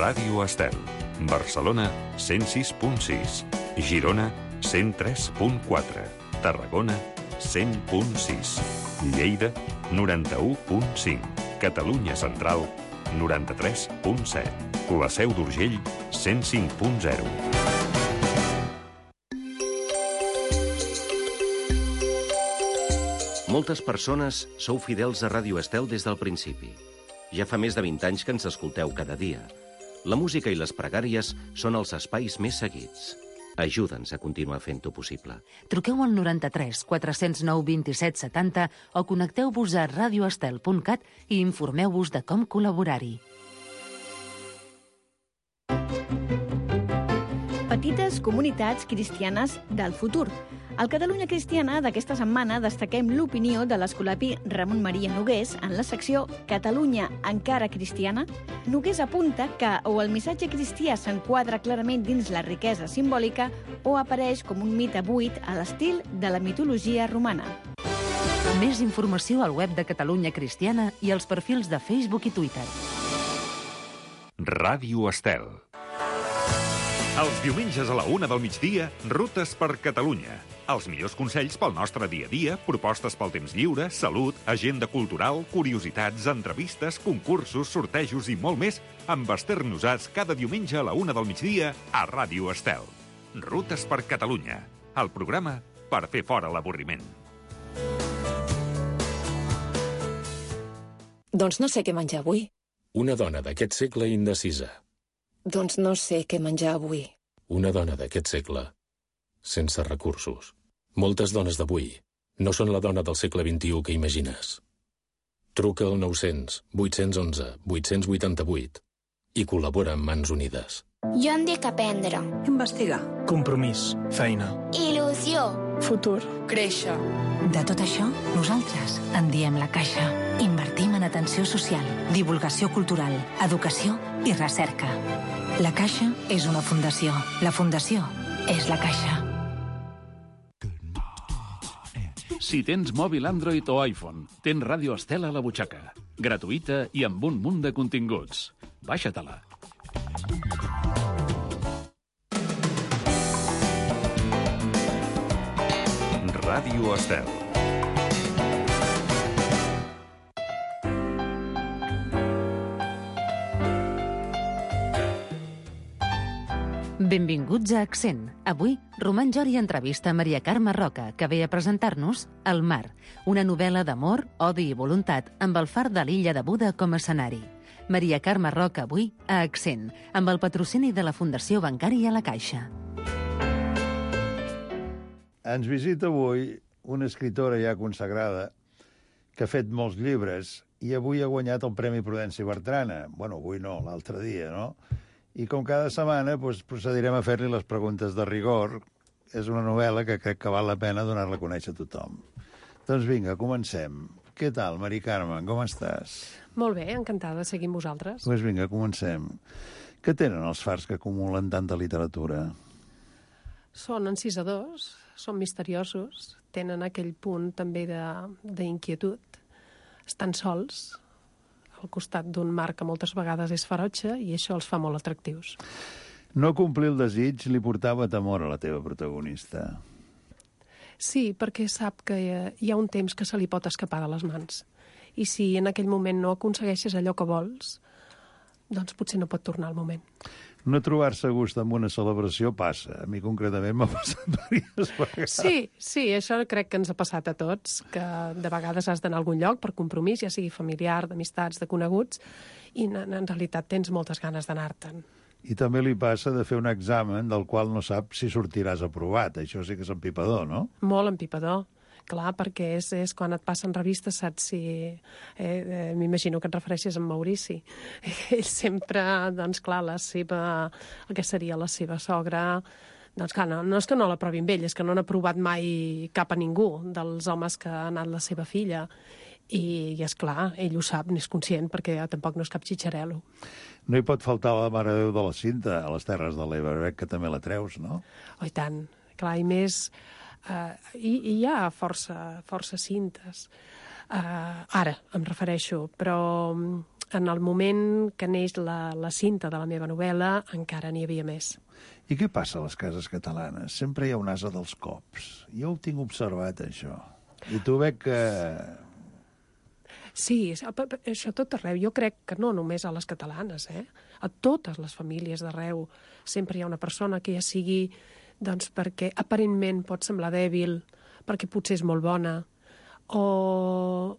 Ràdio Estel. Barcelona, 106.6. Girona, 103.4. Tarragona, 100.6. Lleida, 91.5. Catalunya Central, 93.7. La Seu d'Urgell, 105.0. Moltes persones sou fidels a Ràdio Estel des del principi. Ja fa més de 20 anys que ens escolteu cada dia. La música i les pregàries són els espais més seguits. Ajuda'ns a continuar fent-ho possible. Truqueu al 93 409 27 70 o connecteu-vos a radioestel.cat i informeu-vos de com col·laborar-hi. Petites comunitats cristianes del futur. Al Catalunya Cristiana d'aquesta setmana destaquem l'opinió de l'escolapi Ramon Maria Nogués en la secció Catalunya encara cristiana. Nogués apunta que o el missatge cristià s'enquadra clarament dins la riquesa simbòlica o apareix com un mite buit a l'estil de la mitologia romana. Més informació al web de Catalunya Cristiana i als perfils de Facebook i Twitter. Ràdio Estel. Els diumenges a la 1 del migdia, Rutes per Catalunya. Els millors consells pel nostre dia a dia, propostes pel temps lliure, salut, agenda cultural, curiositats, entrevistes, concursos, sortejos i molt més amb Esther Nosats cada diumenge a la 1 del migdia a Ràdio Estel. Rutes per Catalunya, el programa per fer fora l'avorriment. Doncs no sé què menjar avui. Una dona d'aquest segle indecisa. Doncs no sé què menjar avui. Una dona d'aquest segle sense recursos. Moltes dones d'avui no són la dona del segle XXI que imagines. Truca al 900 811 888 i col·labora amb Mans Unides. Jo em dic aprendre. Investigar. Compromís. Feina. Il·lusió. Futur. Créixer. De tot això, nosaltres en diem La Caixa. Invertim en atenció social, divulgació cultural, educació i recerca. La Caixa és una fundació. La fundació és La Caixa. Si tens mòbil Android o iPhone, tens Ràdio Estel a la butxaca. Gratuïta i amb un munt de continguts. Baixa-te-la. Ràdio Estel. Benvinguts a Accent. Avui, Roman Jori entrevista Maria Carme Roca, que ve a presentar-nos El mar, una novel·la d'amor, odi i voluntat amb el far de l'illa de Buda com a escenari. Maria Carme Roca avui a Accent, amb el patrocini de la Fundació Bancària La Caixa. Ens visita avui una escritora ja consagrada que ha fet molts llibres i avui ha guanyat el Premi Prudenci Bertrana. Bueno, avui no, l'altre dia, no? I com cada setmana procedirem a fer-li les preguntes de rigor. És una novel·la que crec que val la pena donar-la a conèixer a tothom. Doncs vinga, comencem. Què tal, Mari Carme? Com estàs? Molt bé, encantada de seguir amb vosaltres. Doncs vinga, comencem. Què tenen els fars que acumulen tanta literatura? Són encisadors, són misteriosos, tenen aquell punt també d'inquietud. Estan sols al costat d'un mar que moltes vegades és ferotge i això els fa molt atractius. No complir el desig li portava temor a la teva protagonista. Sí, perquè sap que hi ha un temps que se li pot escapar de les mans. I si en aquell moment no aconsegueixes allò que vols, doncs potser no pot tornar al moment. No trobar-se a gust amb una celebració passa. A mi concretament m'ha passat diverses vegades. Sí, això crec que ens ha passat a tots, que de vegades has d'anar a algun lloc per compromís, ja sigui familiar, d'amistats, de coneguts, i en realitat tens moltes ganes d'anar-te'n. I també li passa de fer un examen del qual no sap si sortiràs aprovat. Això sí que és empipador, no? Molt empipador. Clar, perquè és quan et passen revistes, saps si... m'imagino que et refereixes a en Maurici. Ell sempre, doncs clar, el que seria la seva sogra... Doncs clar, no és que no l'aprovin ell, és que no han aprovat mai cap a ningú dels homes que ha anat la seva filla. I és clar, ell ho sap, n'és conscient, perquè tampoc no és cap xitxarel·lo. No hi pot faltar la Mare de Déu de la Cinta a les Terres de l'Ebre, que també la treus, no? Oh, i tant. Clar, i més... hi ha força cintes. Ara em refereixo, però en el moment que neix la cinta de la meva novel·la encara n'hi havia més. I què passa a les cases catalanes? Sempre hi ha un ase dels cops. Jo ho tinc observat, això. I tu veig que... Sí, això tot arreu. Jo crec que no només a les catalanes, a totes les famílies d'arreu sempre hi ha una persona que ja sigui doncs, perquè aparentment pot semblar dèbil, perquè potser és molt bona, o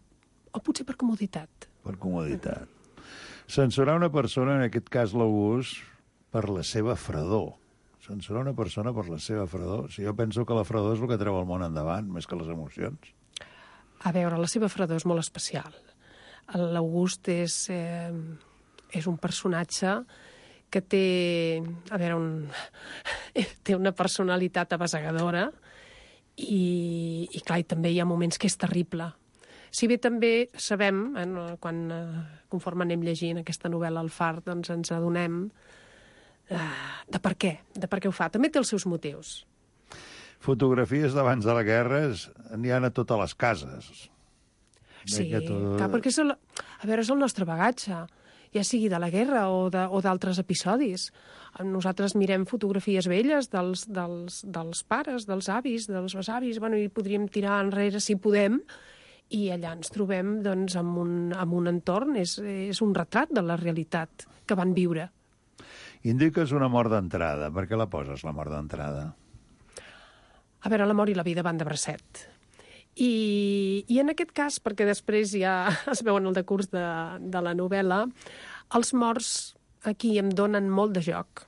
potser per comoditat. Per comoditat. Censurar una persona, en aquest cas l'August, per la seva fredor. Censurar una persona per la seva fredor. Si jo penso que la fredor és el que treu el món endavant, més que les emocions. A veure, la seva fredor és molt especial. L'August és un personatge que té, a veure, té una personalitat abasegadora i clar, i també hi ha moments que és terrible. Si bé també sabem, conforme anem llegint aquesta novel·la al Far, doncs ens adonem de per què ho fa. També té els seus motius. Fotografies d'abans de la guerra n'hi ha a totes les cases. Sí, clar, perquè és el nostre bagatge, ja sigui de la guerra o d'altres episodis. Nosaltres mirem fotografies velles dels pares, dels avis, dels besavis, i podríem tirar enrere si podem, i allà ens trobem doncs, amb un entorn, és un retrat de la realitat que van viure. Indiques una mort d'entrada. Per què la poses, la mort d'entrada? A veure, la mort i la vida van de bracet. I en aquest cas, perquè després ja es veu en el decurs de la novel·la, els morts aquí em donen molt de joc.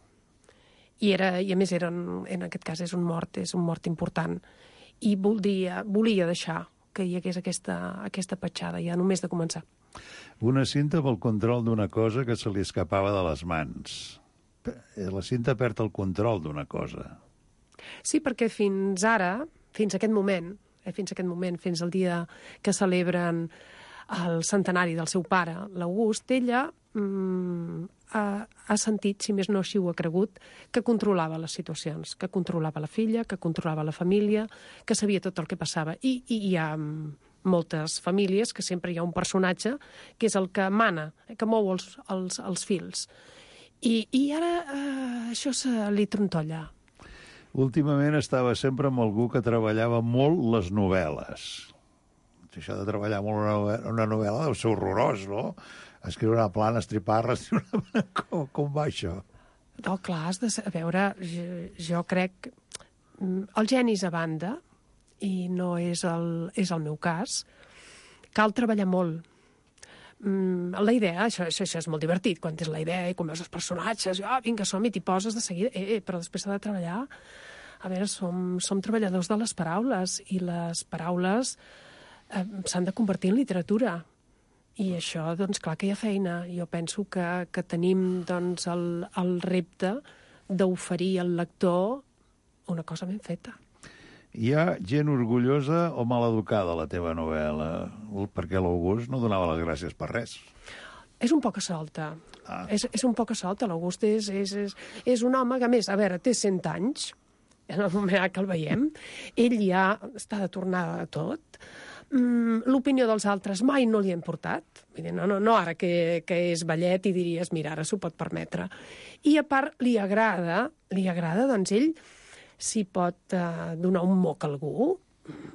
I a més, en aquest cas, és un mort important. I volia deixar que hi hagués aquesta petjada, ja només de començar. Una cinta pel control d'una cosa que se li escapava de les mans. La cinta perd el control d'una cosa. Sí, perquè fins aquest moment, fins al dia que celebren el centenari del seu pare, l'August, ella ha sentit, si més no així ho ha cregut, que controlava les situacions, que controlava la filla, que controlava la família, que sabia tot el que passava. I hi ha moltes famílies que sempre hi ha un personatge que és el que mana, que mou els fils. I ara això se li trontolla. Últimament estava sempre amb algú que treballava molt les novel·les. Això de treballar molt una novel·la deu ser horrorós, no? Escriure una plana, estripar-la... Com va això? No, clar, has de veure, jo crec... El geni és a banda, i no és el meu cas. Cal treballar molt. La idea, això és molt divertit, quan tens la idea i quan veus els personatges, vinga, som-hi, t'hi poses de seguida, però després s'ha de treballar. A veure, som treballadors de les paraules, i les paraules s'han de convertir en literatura. I això, doncs, clar que hi ha feina. Jo penso que tenim, doncs, el repte d'oferir al lector una cosa ben feta. Hi ha gent orgullosa o maleducada a la teva novel·la? Perquè l'August no donava les gràcies per res. És un poc a solta. És un poc a solta. L'August és un home que, a més, a veure, té 100 anys, en el moment que el veiem. Ell ja està de tornada de tot. L'opinió dels altres mai no li ha importat. Vull dir, no ara que és vellet i diries, mira, ara s'ho pot permetre. I a part li agrada, doncs ell, si pot donar un moc a algú,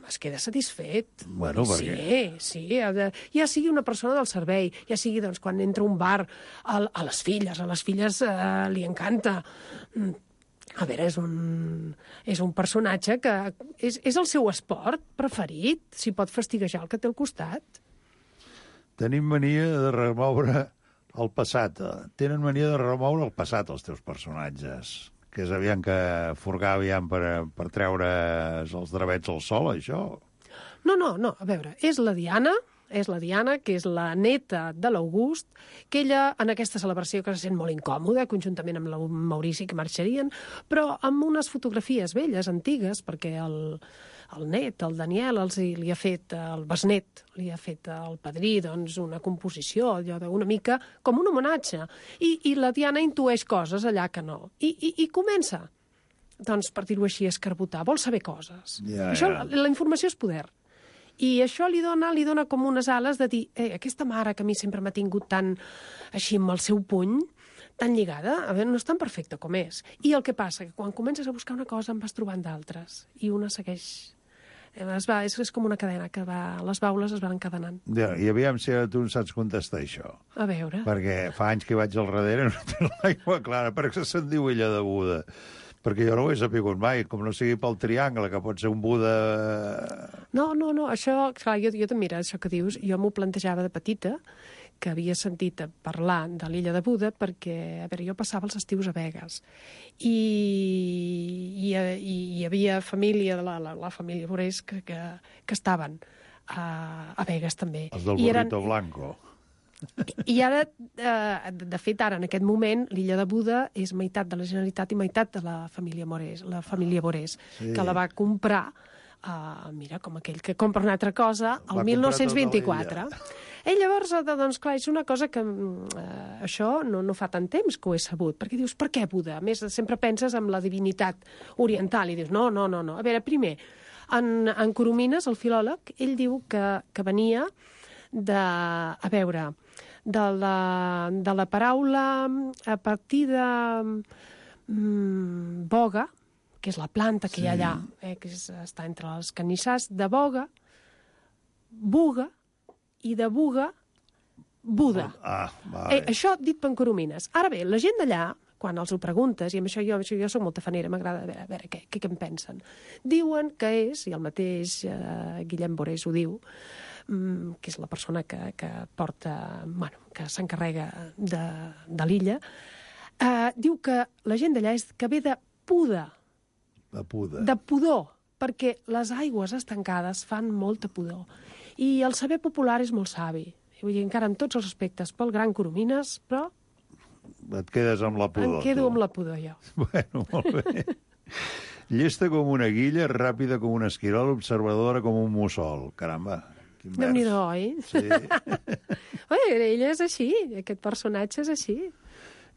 es queda satisfet. Bueno, per què? Sí, ja sigui una persona del servei, ja sigui doncs, quan entra a un bar, a les filles li encanta. A veure, és un personatge que és el seu esport preferit, si pot fastiguejar el que té al costat. Tenim mania de remoure el passat. Tenen mania de remoure el passat, els teus personatges. Que és aviam que furgar per treure's els drabets al sol, això? No, a veure, és la Diana, que és la neta de l'August, que ella, en aquesta celebració, que se sent molt incòmoda, conjuntament amb el Maurici, que marxarien, però amb unes fotografies velles, antigues, perquè el net, el Daniel, li ha fet, el besnet, li ha fet el padrí, doncs, una composició, allò una mica com un homenatge. I la Diana intueix coses allà que no. I comença, doncs, per dir-ho així, a escarbotar. Vol saber coses. Això, la informació és poder. I això li dona com unes ales de dir, aquesta mare que a mi sempre m'ha tingut tan així amb el seu puny, tan lligada, a veure, no és tan perfecta com és. I el que passa, que quan comences a buscar una cosa en vas trobant d'altres, i una segueix... És com una cadena que les baules es van encadenant. Ja, i aviam si tu en saps contestar això. A veure. Perquè fa anys que vaig al darrere i no tinc l'aigua clara. Per què se'n diu Illa de Buda? Perquè jo no ho he sapigut mai, com no sigui pel triangle, que pot ser un Buda... No, això, clar, jo també, mira, això que dius, jo m'ho plantejava de petita, que havia sentit parlar de l'Illa de Buda perquè, a veure, jo passava els estius a Begues i hi havia família, la família Borés, que estaven a Begues també. Els del Burrito Blanco. I ara, de fet, ara, en aquest moment, l'Illa de Buda és meitat de la Generalitat i meitat de la família Borés, sí. Que la va comprar, mira, com aquell que compra una altra cosa, el 1924. I llavors, doncs, clar, és una cosa que això no fa tant temps que ho he sabut, perquè dius, per què Buda? A més, sempre penses en la divinitat oriental i dius, no. A veure, primer, en Coromines, el filòleg, ell diu que venia de la paraula a partir de boga, que és la planta que hi ha allà, que està entre els canissars, de boga, buga, i de buga, Buda. Vale. Això dit per Coromines. Ara bé, la gent d'allà, quan els ho preguntes, i amb això jo soc molt tafanera, m'agrada a veure què en pensen, diuen que és, i el mateix Guillem Borés ho diu, que és la persona que porta, que s'encarrega de l'illa, diu que la gent d'allà és que ve de puda. De pudor, perquè les aigües estancades fan molta pudor. I el saber popular és molt savi. Vull dir, encara en tots els aspectes, pel gran Coromines, però... Et quedes amb la pudor. Em quedo amb la pudor, jo. Bueno, molt bé. Llesta com una guilla, ràpida com un esquirol, observadora com un mussol. Caramba, quin vers. Déu-n'hi-do, oi? Sí. Ella és així, aquest personatge és així.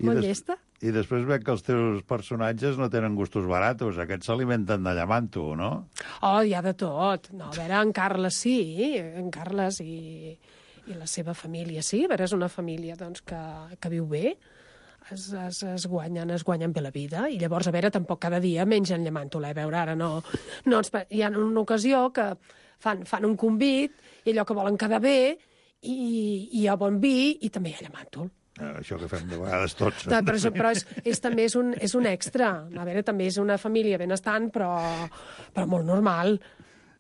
Molt llesta. I després veig que els teus personatges no tenen gustos baratos. Aquests s'alimenten de llamanto, no? Oh, hi ha de tot. No, a veure, en Carles sí, en Carles i la seva família sí. A veure, és una família doncs, que viu bé, es guanyen bé la vida, i llavors, a veure, tampoc cada dia mengen llamàntol, a veure, ara no hi ha una ocasió que fan un convit, i allò que volen quedar bé, i hi ha bon vi, i també hi ha llamàntol. Això que fem de vegades tots. Però també és un extra. A veure, també és una família benestant, però molt normal.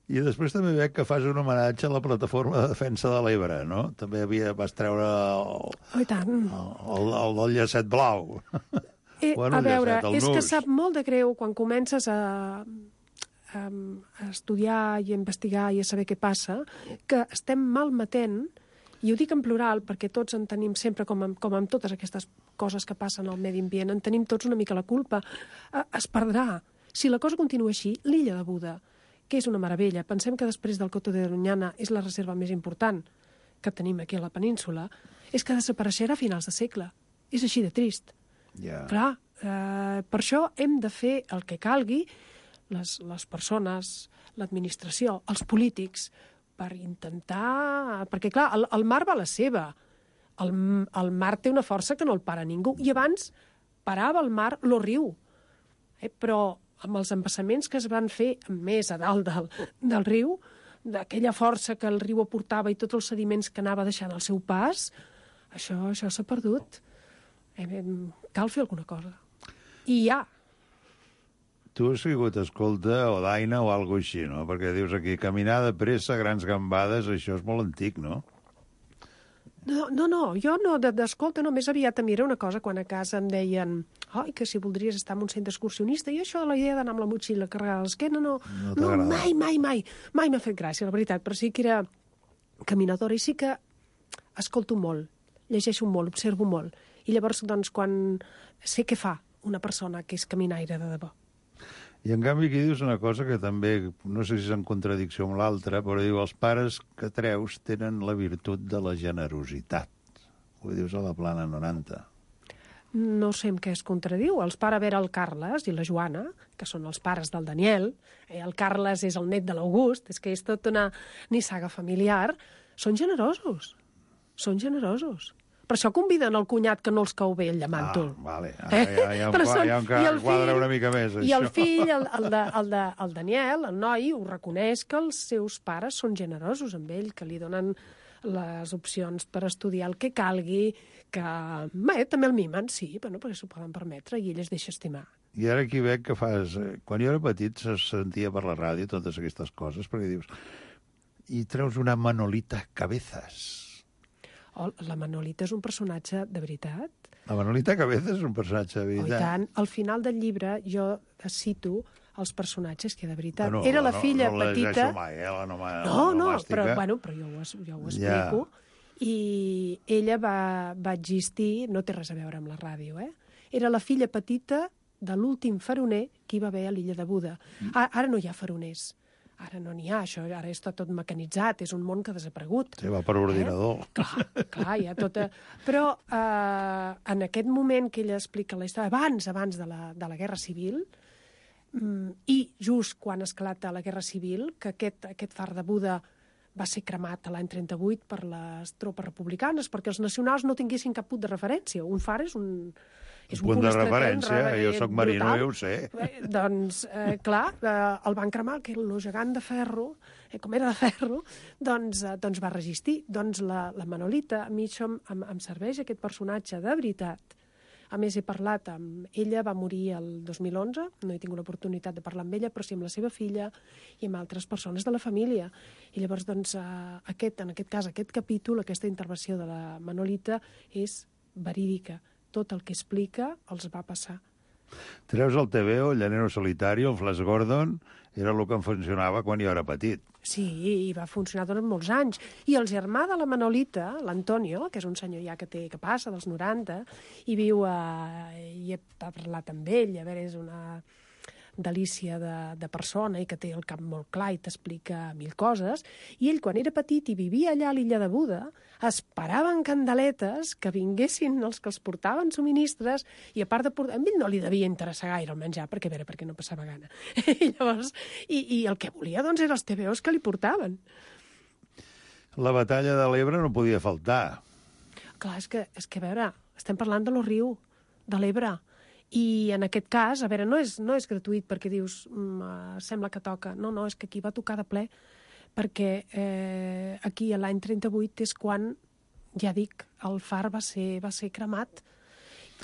I després també veig que fas un homenatge a la Plataforma de Defensa de l'Ebre, no? També vas treure el del llacet blau. A veure, és que sap molt de greu quan comences a estudiar i a investigar i a saber què passa, que estem malmetent. I ho dic en plural perquè tots en tenim sempre, com amb totes aquestes coses que passen al medi ambient, en tenim tots una mica la culpa. Es perdrà. Si la cosa continua així, l'Illa de Buda, que és una meravella, pensem que després del Coto de Doñana és la reserva més important que tenim aquí a la península, és que desapareixerà a finals de segle. És així de trist. Clar, per això hem de fer el que calgui, les persones, l'administració, els polítics, per intentar... Perquè, clar, el mar va a la seva. El mar té una força que no el para ningú. I abans parava el mar lo riu. Però amb els embassaments que es van fer més a dalt del riu, d'aquella força que el riu aportava i tots els sediments que anava deixant al seu pas, això s'ha perdut. Cal fer alguna cosa. I hi ha. Tu has sigut escolta o daina o alguna així, no? Perquè dius aquí, caminar de pressa, grans gambades, això és molt antic, no? No, jo no, d'escolta, no, més aviat a mi era una cosa quan a casa em deien que si voldries estar en un centre excursionista, i això de la idea d'anar amb la motxilla carregada a l'esquena, no, mai m'ha fet gràcia, la veritat, però sí que era caminadora i sí que escolto molt, llegeixo molt, observo molt, i llavors, doncs, quan sé què fa una persona que és caminaire de debò. I en canvi aquí dius una cosa que també, no sé si és en contradicció amb l'altra, però diu, els pares que treus tenen la virtut de la generositat. Ho dius a la Plana 90. no sé en què es contradiu. Els pare a veure el Carles i la Joana, que són els pares del Daniel, el Carles és el net de l'August, és que és tota una nissaga familiar, són generosos. Són generosos. Per això conviden el cunyat que no els cau bé el llamàntol. Vale. Ja em quadra una mica més, això. I el fill, el Daniel, el noi, ho reconeix que els seus pares són generosos amb ell, que li donen les opcions per estudiar el que calgui, que també el mimen, sí, perquè s'ho poden permetre, i ell es deixa estimar. I ara aquí veig que fas... Quan jo era petit se sentia per la ràdio totes aquestes coses, perquè dius... I treus una Manolita Cabezas. La Manolita és un personatge de veritat. La Manolita Cabezas és un personatge de veritat. I tant. Al final del llibre jo cito els personatges que de veritat. Era la filla petita... No llegeixo mai, No, però jo ho explico. I ella va existir, no té res a veure amb la ràdio, Era la filla petita de l'últim faroner que hi va haver a l'illa de Buda. Ara no hi ha faroners. Ara no n'hi ha, això ara està tot mecanitzat, és un món que ha desaparegut. Sí, va per ordinador. Clar, hi ha tota... Però en aquest moment que ella explica la història, abans de la Guerra Civil, i just quan esclata la Guerra Civil, que aquest far de Buda va ser cremat l'any 38 per les tropes republicanes, perquè els nacionals no tinguessin cap punt de referència. Un far és un punt de referència, jo soc marino i ho sé. Doncs, clar, el van cremar, que el gegant de ferro, com era de ferro, doncs va resistir. Doncs la Manolita, a mi això em serveix, aquest personatge de veritat. A més, he parlat amb ella, va morir el 2011, no he tingut l'oportunitat de parlar amb ella, però sí amb la seva filla i amb altres persones de la família. I llavors, doncs, en aquest cas, aquest capítol, aquesta intervenció de la Manolita és verídica. Tot el que explica els va passar. Treus el TVO, el Llanero Solitario, el Flash Gordon, era el que em funcionava quan jo era petit. Sí, i va funcionar durant molts anys. I el germà de la Manolita, l'Antonio, que és un senyor ja que passa dels 90, i viu i he parlat amb ell, a veure, és una delícia de persona i que té el cap molt clar i t'explica mil coses, i ell quan era petit i vivia allà a l'illa de Buda esperaven candeletes que vinguessin els que els portaven subministres, i a part de portar... A ell no li devia interessar gaire el menjar, perquè no passava gana. I llavors, i el que volia doncs eren els TVOs que li portaven. La batalla de l'Ebre no podia faltar. Clar, és que a veure, estem parlant de lo riu, de l'Ebre. I en aquest cas, a veure, no és gratuït perquè dius, sembla que toca. No, és que aquí va tocar de ple, perquè aquí l'any 38 és quan, ja dic, el far va ser cremat.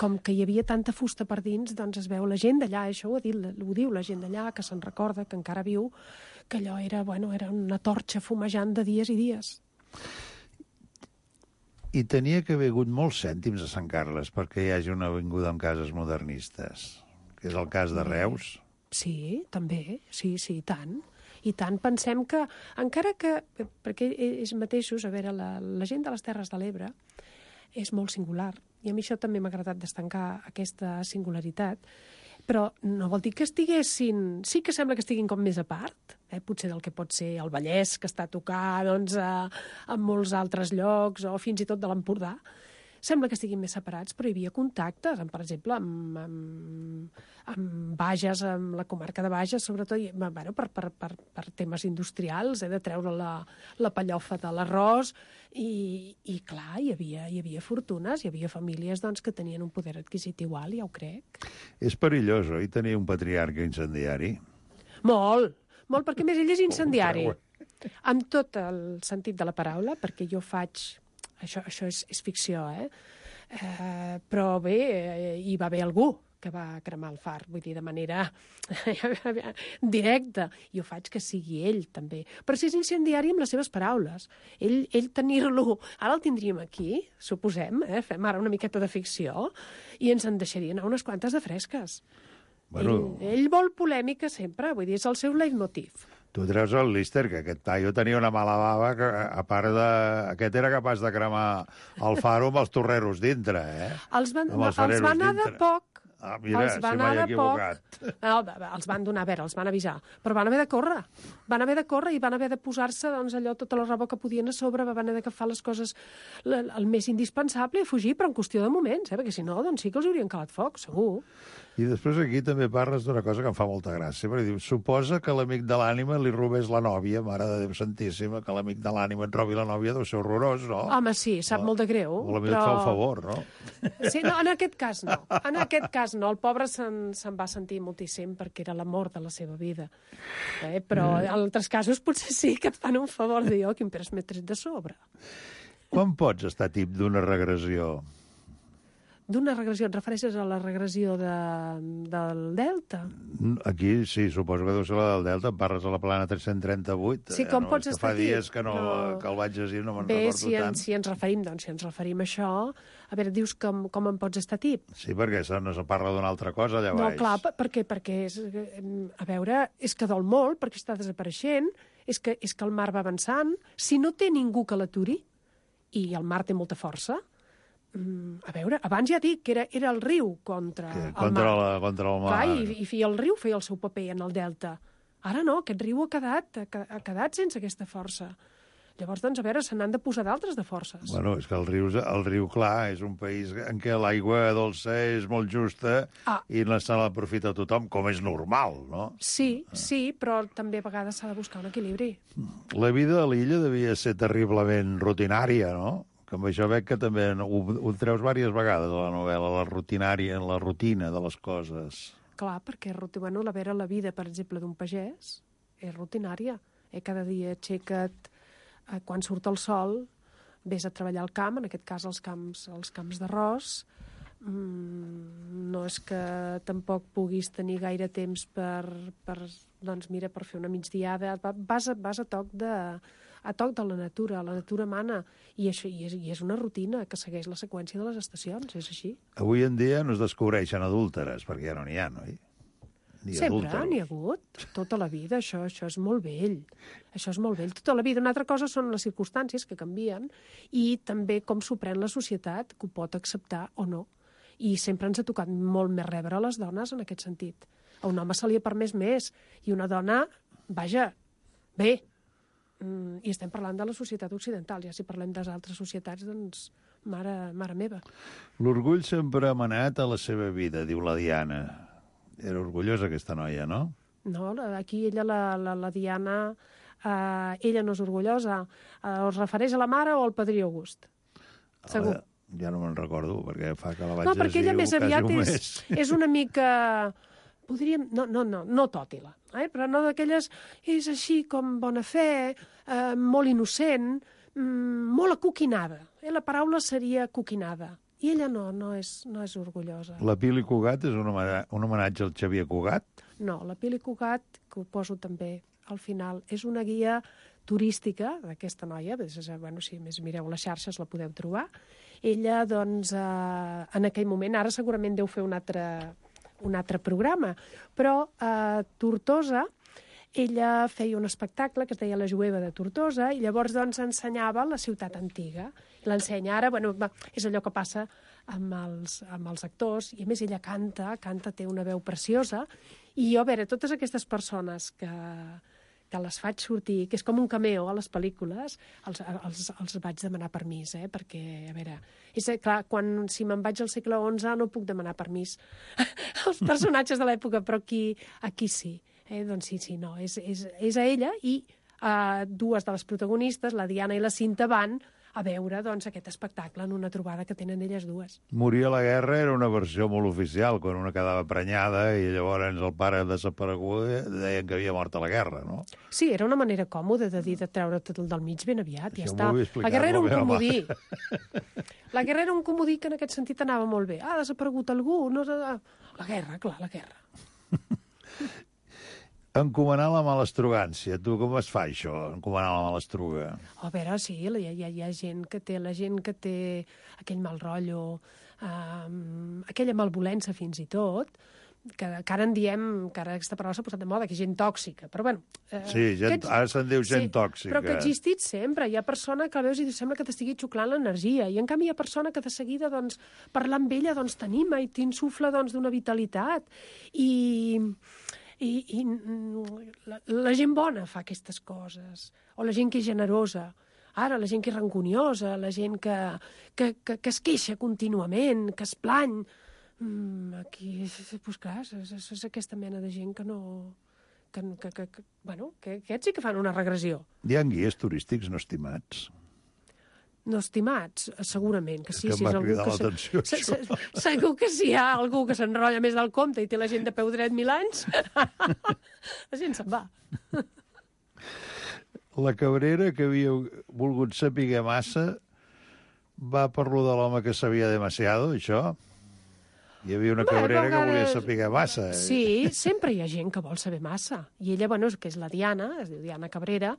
Com que hi havia tanta fusta per dins, doncs es veu la gent d'allà, això ho diu la gent d'allà, que se'n recorda, que encara viu, que allò era una torxa fumejant de dies i dies. I tenia que haver hagut molts cèntims a Sant Carles perquè hi hagi una avinguda amb cases modernistes, que és el cas de Reus. Sí, també, sí, i tant. I tant, pensem que, encara que, perquè ells mateixos, a veure, la gent de les Terres de l'Ebre és molt singular, i a mi això també m'ha agradat destacar aquesta singularitat, però no vol dir que estiguessin... Sí que sembla que estiguin com més a part, potser del que pot ser el Vallès, que està a tocar en molts altres llocs, o fins i tot de l'Empordà. Sembla que estiguin més separats, però hi havia contactes, per exemple, amb Bages, amb la comarca de Bages, sobretot per temes industrials, de treure la pellofa de l'arròs, i clar, hi havia fortunes, hi havia famílies que tenien un poder adquisitiu alt, ja ho crec. És perillós, oi, tenir un patriarca incendiari? Molt, perquè a més ell és incendiari, amb tot el sentit de la paraula, perquè jo faig... Això és ficció, però bé, hi va haver algú que va cremar el far, vull dir, de manera directa. Jo faig que sigui ell, també. Però si és incendiari amb les seves paraules. Ell tenir-lo... Ara el tindríem aquí, suposem, fem ara una miqueta de ficció, i ens en deixarien unes quantes de fresques. Bueno... Ell vol polèmica sempre, vull dir, és el seu leitmotiv. Tu treus el Lister, que aquest paio tenia una mala bava, que a part de... Aquest era capaç de cremar el faro amb els torreros dintre, Els va anar de poc, Mira, si m'he equivocat. No, els van donar, a veure, els van avisar, però van haver de córrer. Van haver de córrer i van haver de posar-se allò, tota la roba que podien a sobre, van haver d'agafar les coses el més indispensable i fugir, però en qüestió de moments, perquè si no, doncs sí que els haurien calat foc, segur. I després aquí també parles d'una cosa que em fa molta gràcia, perquè diu, suposa que l'amic de l'ànima li robés la nòvia, mare de Déu santíssima, que l'amic de l'ànima et robi la nòvia deu ser horrorós, no? Home, sí, sap molt de greu. O potser et fa un favor, no? Sí, no, en aquest cas no. En aquest cas no. El pobre se'n va sentir moltíssim perquè era l'amor de la seva vida. Però en altres casos potser sí que et fan un favor de jo, quin pres m'he tret de sobre. Quan pots estar tip d'una regressió? D'una regressió, et refereixes a la regressió del Delta? Aquí sí, suposo que deu ser la del Delta, parles a la plana 338. Sí, com pots estar aquí? Fa dies que el vaig llegir, no me'n recordo tant. Si ens referim a això, a veure, dius com en pots estar tip? Sí, perquè no se parla d'una altra cosa allà baix. No, clar, perquè a veure, és que dol molt, perquè està desapareixent, és que el mar va avançant, si no té ningú que l'aturi, i el mar té molta força, a veure, abans ja dic que era el riu contra el mar. Contra el mar. Clar, i el riu feia el seu paper en el delta. Ara no, aquest riu ha quedat sense aquesta força. Llavors, doncs, a veure, se n'han de posar d'altres de forces. Bueno, és que el riu, clar, és un país en què l'aigua dolça és molt justa i no se l'aprofita tothom, com és normal, no? Sí, però també a vegades s'ha de buscar un equilibri. La vida a l'illa devia ser terriblement rutinària, no? Que amb això veig que també ho treus diverses vegades a la novel·la, la rutina de les coses. Clar, perquè la vida, per exemple, d'un pagès és rutinària. Cada dia aixeca't, quan surt el sol, vés a treballar al camp, en aquest cas als camps d'arròs. No és que tampoc puguis tenir gaire temps per fer una migdiada. Vas a toc de la natura mana, i és una rutina que segueix la seqüència de les estacions, és així. Avui en dia no es descobreixen adúlteres, perquè ja no n'hi ha, no? Sempre n'hi ha hagut, tota la vida, això és molt vell. Això és molt vell, tota la vida. Una altra cosa són les circumstàncies que canvien i també com s'ho pren la societat, que ho pot acceptar o no. I sempre ens ha tocat molt més rebre a les dones en aquest sentit. A un home se li ha permès més, i una dona, vaja, bé. I estem parlant de la societat occidental, ja si parlem de les altres societats, doncs, mare meva. L'orgull sempre ha manat a la seva vida, diu la Diana. Era orgullosa aquesta noia, no? No, aquí ella, la Diana, ella no és orgullosa. Es refereix a la mare o al padrí August? Segur. Ja no me'n recordo, perquè fa que la vaig llegir. No, perquè ella més aviat és una mica... Podríem... No tòtila, però no d'aquelles... És així com bona fe, molt innocent, molt acuquinada. La paraula seria acuquinada. I ella no és orgullosa. La Pili Cugat és un homenatge al Xavier Cugat? No, la Pili Cugat, que ho poso també al final, és una guia turística d'aquesta noia. Bueno, si més mireu les xarxes la podeu trobar. Ella, doncs, en aquell moment, ara segurament deu fer un altre programa, però a Tortosa ella feia un espectacle que es deia La Jueva de Tortosa i llavors doncs ensenyava la ciutat antiga. L'ensenya ara, bueno, és allò que passa amb els actors, i a més ella canta, té una veu preciosa, i jo, a veure, totes aquestes persones que les faig sortir, que és com un cameo a les pel·lícules, els vaig demanar permís, perquè, a veure, és clar, si me'n vaig al segle XI no puc demanar permís als personatges de l'època, però aquí sí. Doncs sí, no, és a ella, i dues de les protagonistes, la Diana i la Cinta, van a veure doncs, aquest espectacle en una trobada que tenen elles dues. Morir a la guerra era una versió molt oficial, quan una quedava prenyada i llavors el pare desaparegut deien que havia mort a la guerra, no? Sí, era una manera còmoda de dir de treure't del mig ben aviat, ja està. La guerra era un comodí. La guerra era un comodí que en aquest sentit anava molt bé. Ha desaparegut algú? No... La guerra, clar, la guerra. Encomanar la malastrugància. Tu com es fa, això, encomanar la malastruga? A veure, sí, hi ha gent que té aquell mal rotllo, aquella malvolença fins i tot, que ara en diem, que ara aquesta paraula s'ha posat de moda, que és gent tòxica, però bueno... Sí, ara se'n diu gent tòxica. Però que ha existit sempre. Hi ha persona que veus i sembla que t'estigui xuclant l'energia, i en canvi hi ha persona que de seguida, doncs, parlar amb ella, doncs, t'anima i t'insufla, doncs, d'una vitalitat. I la gent bona fa aquestes coses, o la gent que és generosa. Ara, la gent que és rancuniosa, la gent que es queixa contínuament, que es plany... Aquí, doncs clar, és aquesta mena de gent que no... Bueno, que aquests sí que fan una regressió. Hi ha guies turístics no estimats? No estimats, segurament que sí. És que m'ha cridat l'atenció, això. Segur que si hi ha algú que s'enrotlla més del compte i té la gent de peu dret 1000 anys, la gent se'n va. La Cabrera, que havia volgut saber massa, va per lo de l'home que sabia demasiado, això? Hi havia una Cabrera que volia saber massa. Sí, sempre hi ha gent que vol saber massa. I ella, bueno, que és la Diana, es diu Diana Cabrera,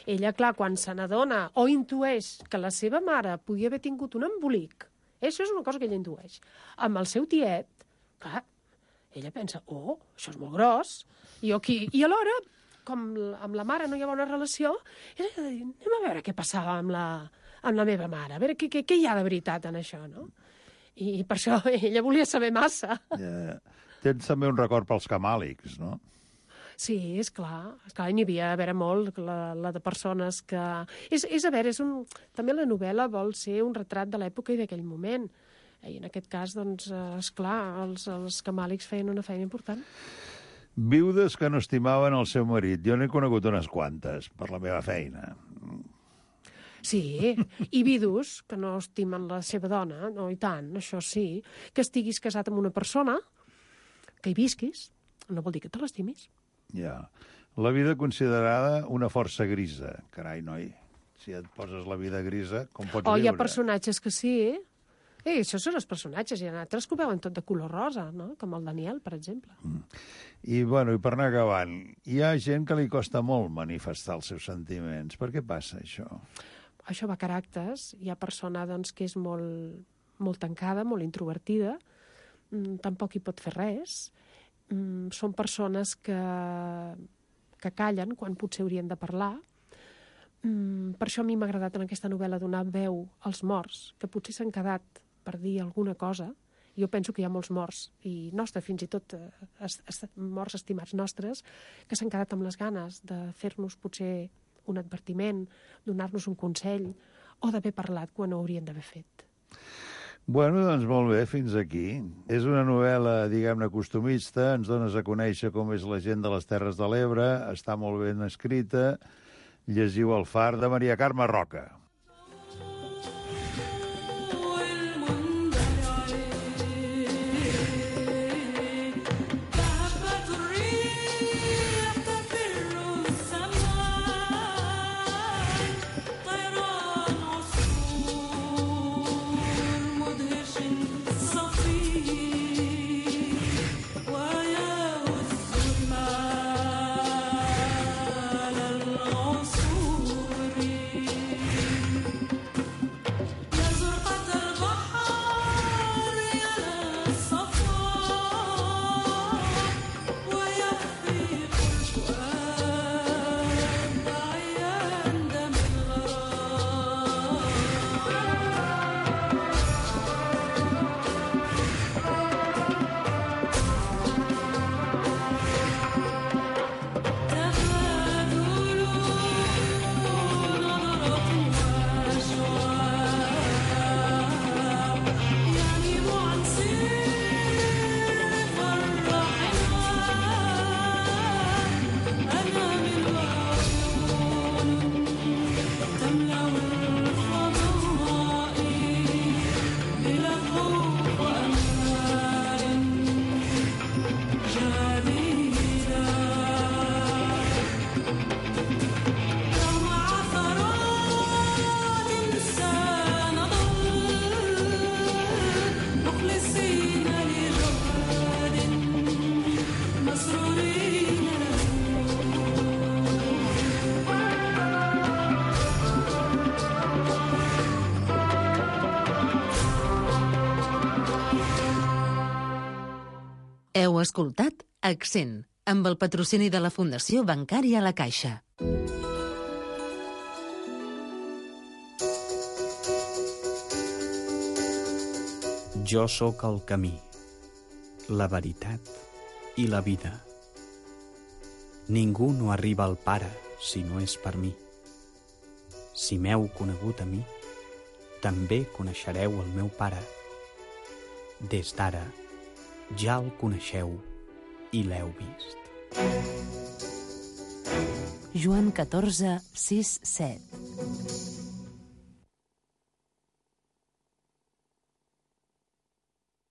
ella, clar, quan se n'adona o intueix que la seva mare podia haver tingut un embolic, això és una cosa que ella intueix, amb el seu tiet, clar, ella pensa, això és molt gros, i alhora, com amb la mare no hi ha bona relació, ella ha de dir, anem a veure què passava amb la meva mare, a veure què hi ha de veritat en això, no? I per això ella volia saber massa. Tens també un record pels camàlics, no? Sí, és clar, n'hi havia a veure molt, la de persones que... És a veure, també la novel·la vol ser un retrat de l'època i d'aquell moment. I en aquest cas, doncs, esclar, els camàlics feien una feina important. Viudes que no estimaven el seu marit. Jo n'he conegut unes quantes, per la meva feina. Sí, i vidus que no estimen la seva dona, no, i tant, això sí. Que estiguis casat amb una persona, que hi visquis, no vol dir que te l'estimis. Ja. La vida considerada una força grisa. Carai, noi, si et poses la vida grisa, com pots viure? Hi ha personatges que sí, això són els personatges, i hi ha altres que ho veuen tot de color rosa, no? Com el Daniel, per exemple. I per anar acabant, hi ha gent que li costa molt manifestar els seus sentiments. Per què passa això? Això va a caràcters. Hi ha persona doncs, que és molt tancada, molt introvertida, tampoc hi pot fer res. Són persones que callen quan potser haurien de parlar. Per això a mi m'ha agradat en aquesta novel·la donar veu als morts, que potser s'han quedat per dir alguna cosa. Jo penso que hi ha molts morts, i nostres, fins i tot morts estimats nostres, que s'han quedat amb les ganes de fer-nos potser un advertiment, donar-nos un consell, o d'haver parlat quan ho haurien d'haver fet. Bueno, doncs molt bé, fins aquí. És una novel·la, diguem-ne, costumista, ens dones a conèixer com és la gent de les Terres de l'Ebre, està molt ben escrita. Llegiu El far, de Maria Carme Roca. Heu escoltat Accent, amb el patrocini de la Fundació Bancària La Caixa. Jo sóc el camí, la veritat i la vida. Ningú no arriba al Pare si no és per mi. Si m'heu conegut a mi, també coneixereu el meu Pare. Des d'ara, ja el coneixeu i l'heu vist. Joan 14, 6, 7.